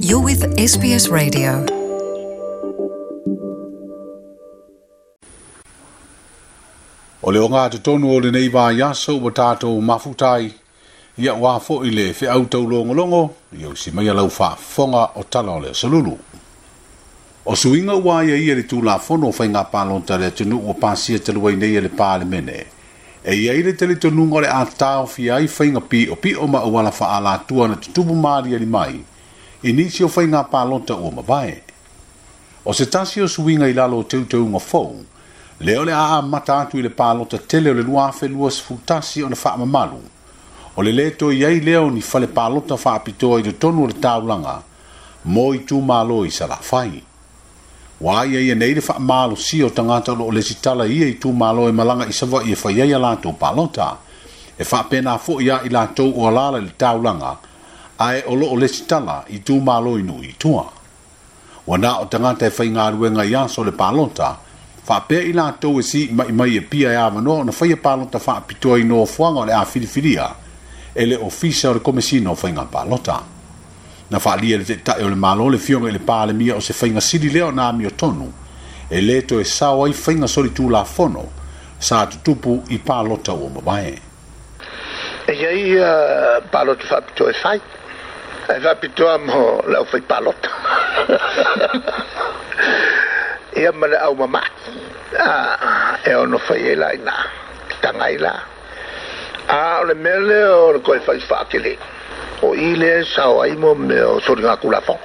You're with SBS Radio. O le ogatotonu o lenei vaiaso ua tatou mafuta ai, ia aua foi le feau taulogologo, ia usi maia lau faafofoga o tala o le aso lulu. O suiga ua aiaia i le Tulafono o Faiga Palota a le atunuu ua pasia talu ai nei e le Palemene, e i ai le talitonuga o le a taofia ai faiga piopio ma auala faaalatua na tutupu maaliali mai i nisi o faiga palota ua mavae. O se tasi o suiga i lalo o teuteuga fou, lea o le a amata atu i le palota tele o le 2021 ona faamamalu, o le lē toe i ai lea o ni fale palota faapitoa i totonu o le taulaga mo itumalo i Salafai. Ua aiaia nei le faamalosia o tagata o lo o lesitala i ia itumalo e malaga i Savaii e fai ai a latou palota. E faapena foi ia i latou o alaala i le taulaga ae o lo o lesitala i itumalo i nuu i tua. Ua na o tagata e faigaluega i aso o le palota, faapea i latou e siimai mai Apia e avanoa ona faia palota faapitoa i nofoaga o le a filifilia e le Ofisa o le Komesina o Faiga Palota. Na faaalia e le Taitai o le Malo le Afioga i le Palemia o se faiga sili lea ona amiotonu e lē toe sao ai faiga solitulafono sa tutupu i palota ua mavae. E i ai palota faapitoa e fai, ae faapitoa mo le aufai palota ia ma le au mama'i e ono fai ai la i ina, taga ai la. A o le mea lea o le toe fai faatele, o i lea e sao ai mo mea o soligatulafono.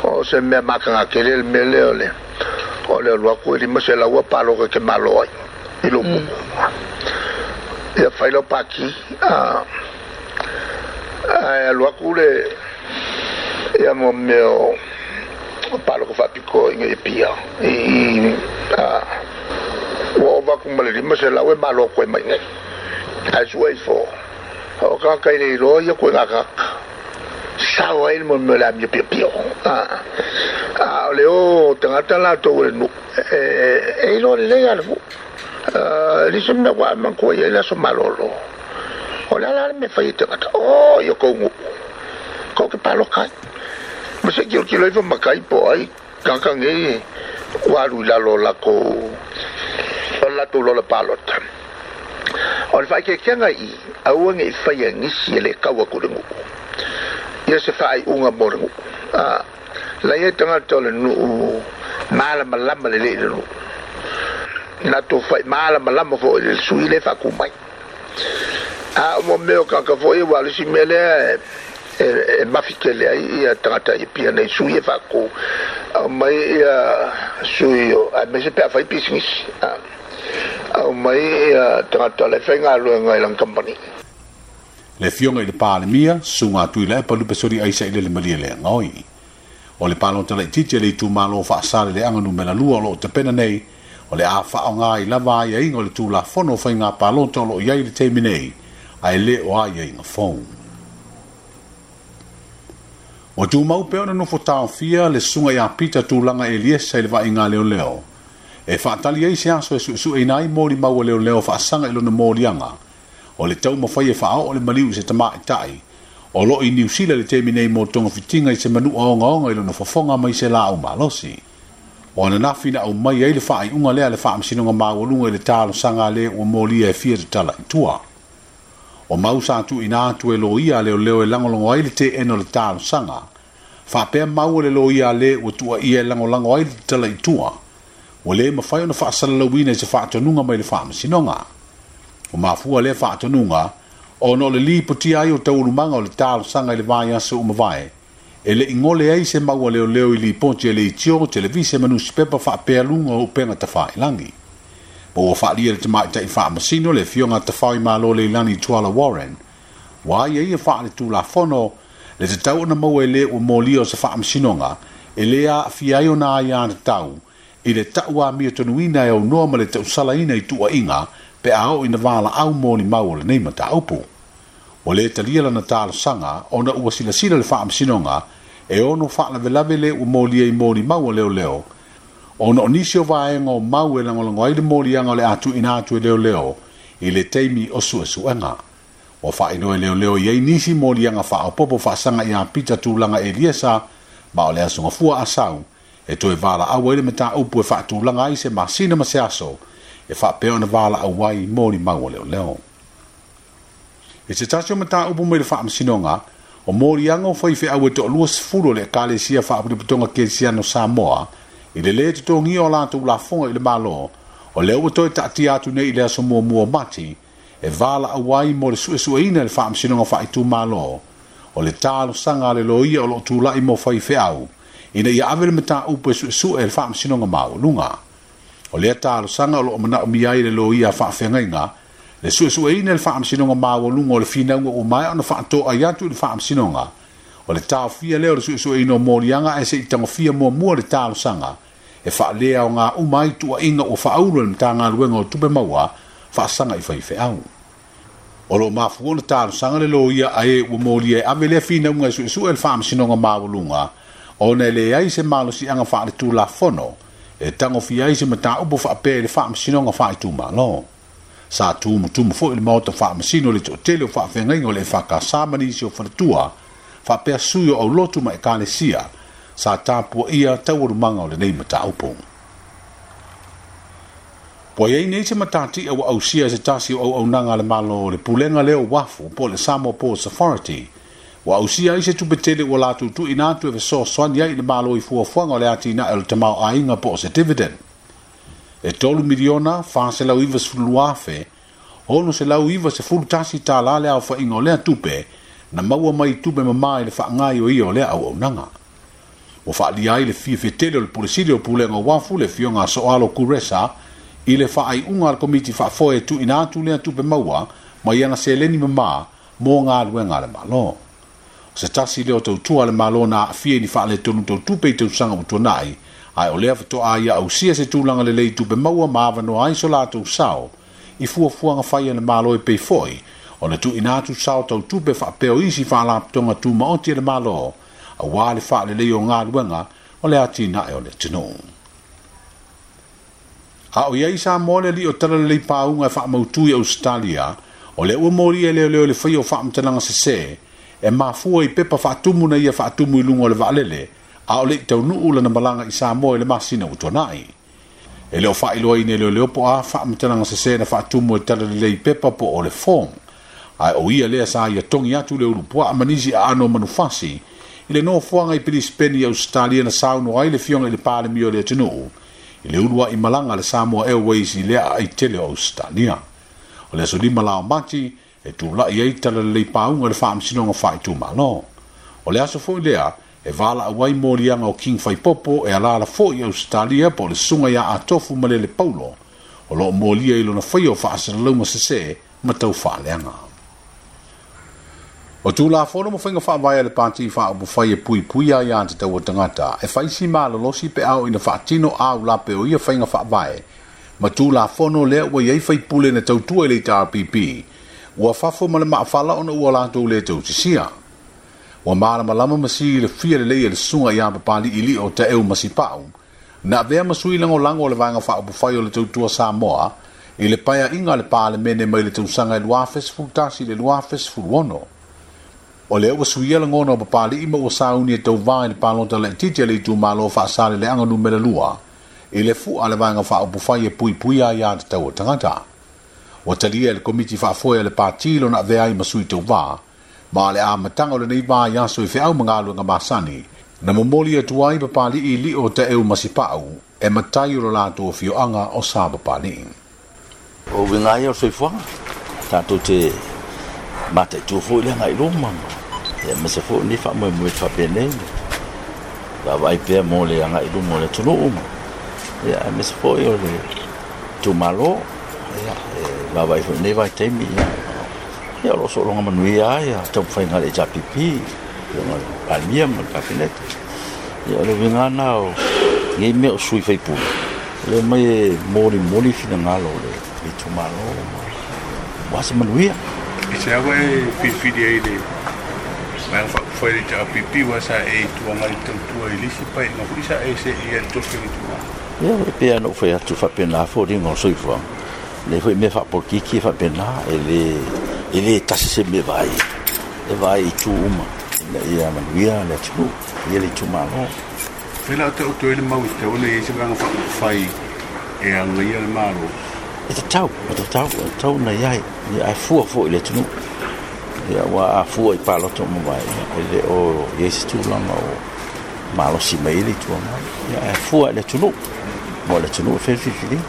O se mea mataga tele le mea lea o le o le alu atu e 500 a palota e te malo ai i lou nuu. Ia fai lau pati a ae alu atu le ia mo mea o palota faapitoa ina ia pia i a ua ova atu ma le 500 e malo atu ai mai nei. Ae sue ifo, o tagata e le iloa ia koe gagata. Sao ai le mea o le amio piopio. A o le o tagata latou o le nuu, e iloa lelei lava le nuu. E leai se mea ua manatua i ai le aso malolo. O le a la le mea e fai e tagata? O i o tou nuu, tou te palota ai. Ma se i tilotilo ifo matai po o ai tagata nei ua alu i lalo o latou o le latou lola palota. O le faaeteetega i i, aua ne i faia e nisi e le tau atu i le nuu ia se faaiuga mo le nuu. A la i ai tagata o le nuu malamalama lelei i le nuu, latou fai malamalama foi i le sui lea e faatu mai. A o mo mea o tagata foi aua o le isi mea lea e mafi tele ai ia tagata i Apia nei sui e faatu aumai ia sui o aemaise pe a fai pisinisi aumai ia tagata o la e faigaluega i lana kamupani. Le Afioga i le Palemia, Susuga Tuilaepa Lupesoli Aisa i Lele Malielegaoi. O le palota laitiiti a le itumalo o Faasaleleaga Numera 2 o lo o tapena nei, o le a faaaoga ai lava aiaiga o le Tulafono o Faiga Palota o lo o i ai i le taimi nei, ae le o aiaiga fou. Ua tumau pea ona nofo taofia le Susuga ia Peter Tulaga Eliesa i le vaaiga a leoleo e faatali ai se aso e suesueina ai molimau a leoleo faasaga i lona moliaga o le taumafai e faaoo le maliu i se tamaitai o lo o i Niu Sila i le taimi nei mo togafitiga i se manua ogaoga i lona fofoga mai se laau malosi. O ananafi na aumai ai le faaiuga lea a le Faamasinoga Maualuga i le talosaga a le ua molia e fia tatala i tua. O mau sa tuuina atu e loia a leoleo e lagolago ai le teena o le talosaga, faapea mau a le loia a le ua tuuaia e lagolago ai le tatala i tua, ua le mafai ona faasalalauina i se faatonuga mai le Faamasinoga. Ua mafua lea faatonuga ona o le lipotia ai o taualumaga o le talosaga i le vaiaso ua mavae, e le i gole ai se mau a leoleo i lipoti a leitio, televise ma nusipepa faapea luga o upega tafailagi. Ma ua faaalia e le tamaitai faamasino le Afioga a Tafaoimalo Leilani Tuala Warren, ua aiaia faaletulafono le tatau ona maua e le ua molia o se faamasinoga e le aafia ai ona aiatatau i le tau amiotonu-ina e aunoa ma le tausalaina i tuuaiga pe a oo ina valaau molimau o lenei mataupu. Ua le talia lana talosaga ona ua silasila le Faamasinoga e ono faalavelave le ua molia i molimau a leoleo ona o nisi o vaega o mau e lagolago ai le moliaga o le a tuuina atu e leoleo i le taimi o suesuega. Ua faailoa e leoleo i ai nisi moliaga faaopoopo faasaga ia Pita Tulaga Eliesa Ma o le Aso Gafua a sau, e toe valaau ai le mataupu e faatulaga ai se masina ma se aso e faapea ona valaau ai molimau a leoleo. I se tasi o mataupu mai le faamasinoga, o moliaga o faifeau e toa-20 o le Ekalesia Faapotopotoga Kerisiano o Samoa i le lē totogia o latou lafoga i le Malo, o lea ua toe taatia atu nei i le aso 1 o Mati e valaau ai mo le suesueina e le Faamasinoga Faaitumalo o le talosaga a le loia o lo o tulai mo faifeau ina ia ave le mataupu e suesue e le Faamasinoga Maualuga. O lea talosaga o lo o manaomia ai e le loia a faafeagaiga le suesueina e le Faamasinoga Maualuga o le finauga ua maea ona faatoai atu i le Faamasinoga o le taofia lea o le suesueina o moliaga ae se i tagofia muamua le talosaga e faaleaoga uma ai tuuaiga ua faaulu e le Matagaluega o Tupe Maua faasaga i faifeau. O lo o mafua ona talosaga le loia a e ua molia e ave lea finauga e suesue e le Faamasinoga Maualuga ona e leai se malosiaga faaletulafono e tagofia ai se mataupu faapea i le Faamasinoga Faaitumalo. Sa tumutumu foi le Maota Faamasino i le toatele o faafeagaiga o le EFKS ma nisi o faletua faapea sui o aulotu ma ekalesia sa tapuaia taualumaga o lenei mataupu. Ua i ai nei se matatia ua ausia e se tasi o auaunaga a le Malo o le Pulega lea o Uafu po o le Samoa Ports Authority, ua ausia ai se tupe tele ua latou tuuina atu e fesoasoani ai i le Malo i fuafuaga o le atinae o le tamaoaiga po o se dividend. E $3,492,691 le aofaiga o lea tupe na maua mai i tupe mama i le faagaoioia o lea auaunaga. Ua faaalia ai le fiafia tele o le Pule Sili o Pulega o Uafu, le Afioga a Soalo Kuresa, i le faaiuga a le Komiti Faafoe e tuuina atu lea tupe maua mai ana seleni mama mo galuega a le Malo. O se tasi lea o tautua a le Malo na aafia i ni faaletonu tau tupe i tausaga ua tuanai, ae o lea faatoa ia ausia se tulaga lelei i tupe maua ma avanoa ai so latou sao i fuafuaga fai a le Malo e pei foi ona tuuina atu sao tau tupe faapea o isi faalapotopotoga tumaoti a le Malo aua le faalelei o galuega o le atinae o le atunuu. A o i ai Samoa le alii o talalelei pauga e faamautu i Ausetalia, o lea ua molia e leoleo i le faia o faamatalaga sese e mafua i pepa faatumu na ia faatumu i luga o le vaalele a o le i taunuu lana malaga i Samoa i le masina ua tuanai. E le o faailoaina e leoleo po o a faamatalaga sese na faatumu e talalelei pepa po o le form, ae o ia lea sa ia togi atu le ulupuaa ma nisi aano o manufasi i le nofoaga i Pilisipeni i Ausetalia na saunoa ai le Afioga i le Palemia o le atunuu i le uluai malaga a le Samoa Airways i lea aai tele o Ausetalia. O le aso 5 la o Mati e tulai ai talalelei pauga i le Faamasinoga Faaitumalo. O le aso foi lea e valaau ai moliaga o King Faipopo e alaala foi i Ausetalia po o le susuga ia Atofu Malele Paulo o lo o molia i lona faia o faasalalauga sese ma taufaaleaga. O Tulafono ma faiga faavae a le Pati Faaupufai e puipuia aiatatau a tagata, e fai si malolosi pe a oo ina faatino aulape o ia faiga faavae ma Tulafono lea ua i ai faipule na tautua i le HRPP, ua fafo ma le maafala ona ua latou le tausisia. Ua malamalama ma silafia lelei e le susuga ia Papali'ili'o Taeu Masipa'u, na avea ma sui lagolago o le Vaega Faaupufai o le Tautua Samoa i le paeaiga a le Palemene mai le tausaga e 2011 i le 2016. O lea ua suia lagona o Papali'i ma ua sauni e tauva i le palota laitiiti a le itumalo Faasaleleaga Numera 2 i le fua a le Vaega Faaupufai e Puipuia Aiatatau a Tagata. Ua talia e le Komiti Faafoe a le Pati lona avea ai ma sui tauva, Ma le amataga o lenei vaiaso i feau ma galuega masani, na momoli atu ai Papali'i Lio Taeu Masipa'u e matai o lo latou afioaga o Sa Papali'i. O uiga ia o le soifuaga, tatou te mataitu foi le agai i luma, aemaise foi o lenei faamoemoe faapenei, vaavaai pea mo le agai i luma o le atunuu, aemaise foi o le itumalo, e vaavaai foi i lenei vaitaimi, o lo o sologa manuia lava taumafaiga a le HRPP, afioga i le Palemia ma le Kapeneta. O le uiga lena o nei mea o sui usufono, e omai e molimoli finagalo o le itumalo aua se manuia. I se ava e filifili ai le Vaega Faaupufai a le HRPP aua sa e Itu Agai tautua i le isi paeaiga foi sa e seei ai i le tofi o le itumalo. Ia, e pei lava ona ou fai atu, e faapena foliga o le soifuaga. Lea foi mea faapolokiki e faapena, e le, e le tasi se mea e vaai, e vaai i itu uma. Ina ia manuia le atunuu, ia le itumalo. Fai la o taoto ai le mau e tatau ona i ai se vaega faaupufai e agaia le Malo. E tatau, e tatau, e tatau ona i ai, ia ae fua foi i le atunuu. Ia aua a fua i palota ua mavae, ia e le o i ai se tulaga o malosi mai ai le Itu Agai. Ia ae fua i le atunuu, mo le atunuu e fai le filifiliga.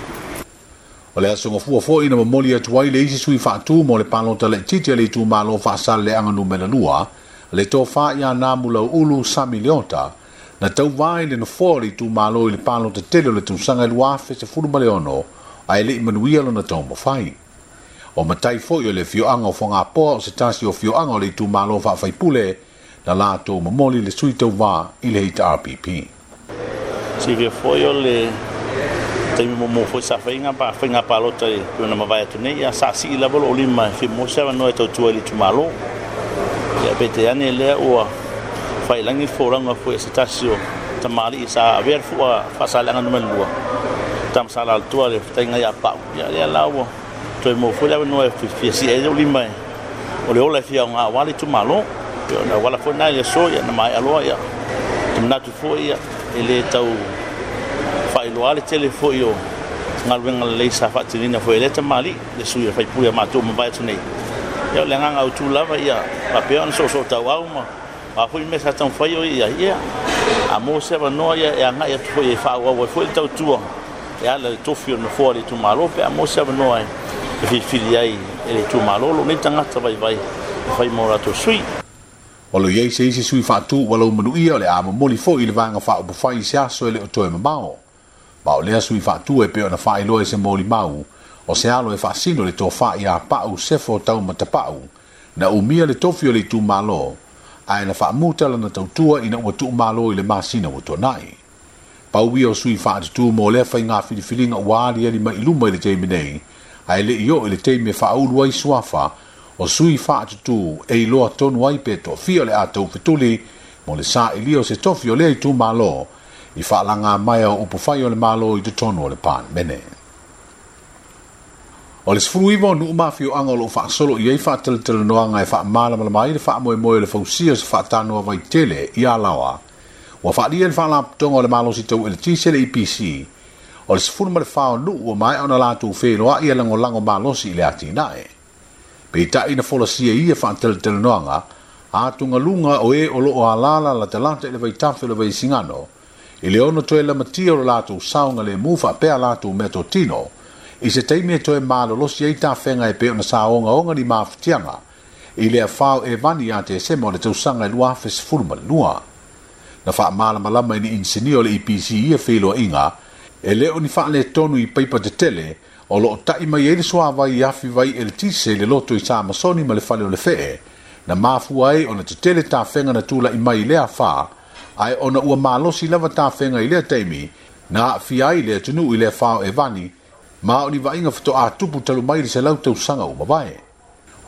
O le aso Gafua foi na momoli atu ai le isi sui faatu mo le palota laitiiti a le itumalo Faasaleleaga Numera 2, le Tofa ia Namulauulu Sami Leota, na tauva i le nofoa o le itumalo i le palota tele o le tausaga e 2016 ae le i manuia lona taumafai. O matai foi o le afioaga o Fogapoa o se tasi o afioaga o le itumalo faafaipule na latou momoli le sui tauva i le HRPP. Silafia foi o le taimi muamua foi sa fai faiga palota e pei ona mavae atu nei, ia sa sii lava lou lima e fia maua se avanoa e tautua i le itumalo. Ia peitai ane lea ua faiilagi le folauga foi a se tasi o tamalii sa avea le fua Faasaleleaga numera 2, Tama Sa Lalotoa le fetalaiga ia Pau. Ia lea la ua toe maua foi le avanoa e fia sii ai lou lima o le ola e fia aoga aua le itumalo. Pei o le auala foi lena i le aso, ia na maea loa, ia te manatu foi ia e le tau faailoa le tele foi o galuega lelei sa faatinoina foi e lea tamalii le sui faipule a matou mavae atu nei. Ia o le agaga autu lava ia faapea ona soosootauau ma a foi mea sa taumafai o ia ia a maua se avanoa ia e agai atu foi e faaauau ai foi le tautua e ala i le tofi o le nofoa o le itumalo pe a maua se avanoa e filifili ai e le itumalo lou nei tagata vaivai e fai mo latou sui. O lo o i ai se isi sui faatu ua laumanuia o le a momoli foi i le Vaega Faaupufai i se aso e le o toe mamao. Ma o lea sui faatu e pei ona faailoa i se molimau, o se alo e faasino le tofa ia Pau Sefo Taumatapau, na umia le tofi o le itumalo, ae na faamuta lana tautua ina ua tuumalo i le masina ua tuanai. Pau ia o sui faatutu mo lea faiga filifiliga ua aliali mai i luma i le taimi nei, ae le i oo i le taimi e faaulu ai suafa o sui faatutu e iloa tonu ai pe toafia o le a taufetuli mo le sailia o se tofi o lea itumalo i faalaga mai o upufai o le Malo i totonu o le Palemene. O le 19 o nuu ma afioaga o lo o faasolo i ai faatalatalanoaga e faamalamalama ai le faamoemoe o le fausia o se faatanoa vaitele i Alaoa, ua faaalia e le Faalapotopotoga o le Malosi Tau Eletise le EPC, o le 14 o nuu ua maea ona latou feiloai e lagolago malosi i le atinae. Peitai na folasia i ia faatalatalanoaga atugaluga o e o lo o alaala latalata i le vaitafe o le Vaisigano i le ono toe lamatia o lo latou saogalemu faapea latou meatotino i se taimi e toe malolosi ai tafega e pei ona saogaoga ni mafatiaga i le afa o Evani ia Tesema o le tausaga e 2012. Na faamalamalama e ni inisinia o le EPC ia feiloaiga e le o ni faaletonu i paipa tetele o lo o tai mai ai le suavai i afi vai eletise i le loto i Samasoni ma le fale o le Fee, na mafua ai ona tetele tafega na tula'i mai i lea afa, ae ona ua malosi lava tafega i lea taimi na aafia ai le atunuu i le afa o Evani, ma o ni vaaiga faatoa tupu talu mai le 100 tausaga ua mavae.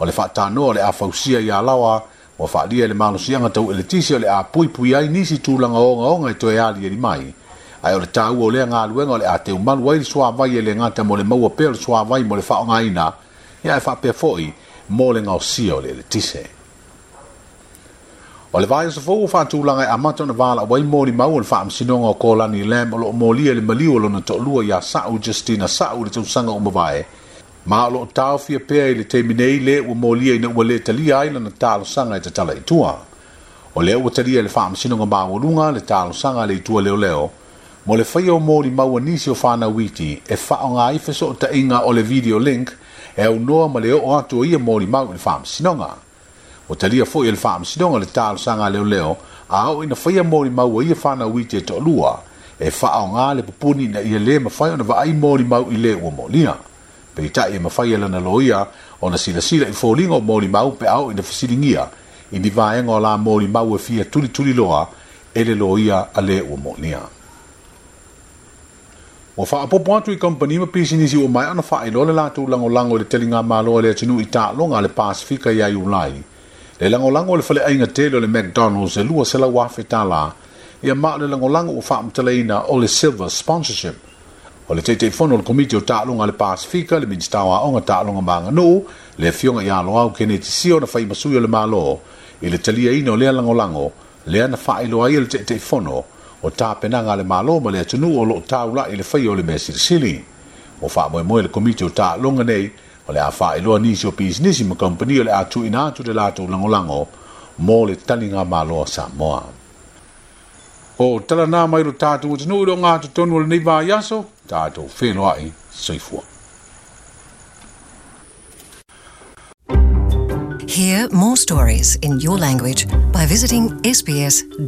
O le faatanoa o le a fausia i Alaoa ua faaalia e le malosiaga tau eletise o le a puipui ai nisi tulaga ogaoga e toe aliali mai, ae o le taua o lea galuega o le a teumalu ai le suavai e le gata mo le maua pea o le suavai mo le faaaogaina, ia ae faapea foi mo le gaosia o le eletise. O le vaiaso fou ua faatulaga e amata ona valaau ai molimau o le faamasinoga o Kolani Lam o lo o molia i le maliu o lona toalua ia Sa'u Justina Sa'u i le tausaga ua mavae, ma o lo o taofia pea i le taimi nei le ua molia ina ua le talia ai lana talosaga e tatala i tua. O lea ua talia e le Faamasinoga Maualuga le talosaga a le Itu a Leoleo mo le faia o molimau a nisi o fanau iti e faaaoga ai fesootaiga o le video link e aunoa ma le oo atu o ia molimau i le Faamasinoga. Ua talia foi e le Faamasinoga le talosaga a leoleo a oo ina faia molimau a ia fanau iti e toalua e faaaoga le pupuni ina ia le mafai ona vaai molimau i le ua molia. Peitai e mafai e lana loia ona silasila i foliga o molimau pe a oo ina fesiligia i ni vaega o la molimau e fia tulituliloa e le loia a le ua molia. Ua faaopoopo atu i kamupani ma pisinisi ua maea ona faailoa le latou lagolago i le taligamalo a le atunuu i taaloga a le Pasefika ia Iulai, le lagolago a le faleaiga tele o le McDonald's e $200,000, ia ma o le lagolago ua faamatalaina o le Silver Sponsorship. O le Taitaifono o le Komiti o Taaloga a le Pasefika, le Minisita o Aoga, Taaloga ma Aganuu, le Afioga ia Loau Keneti Sio na fai ma sui o le Malo I le taliaina o lea lagolago lea na faailoa ai e le Taitaifono o tapenaga a le Malo ma le atunuu o lo o taula'i i le faia o le mea silisili. Ua faamoemoe le Komiti o Taaloga nei o le a faailoa nisi o pisinisi ma kamupani o le a tuuina atu le latou lagolago mo le taligamalo a Samoa. O tala na mai lo tatou atunuu i le ogatotonu o lenei vaiaso, tatou feiloai, soifua. Hear more stories in your language by visiting sbs.com.au.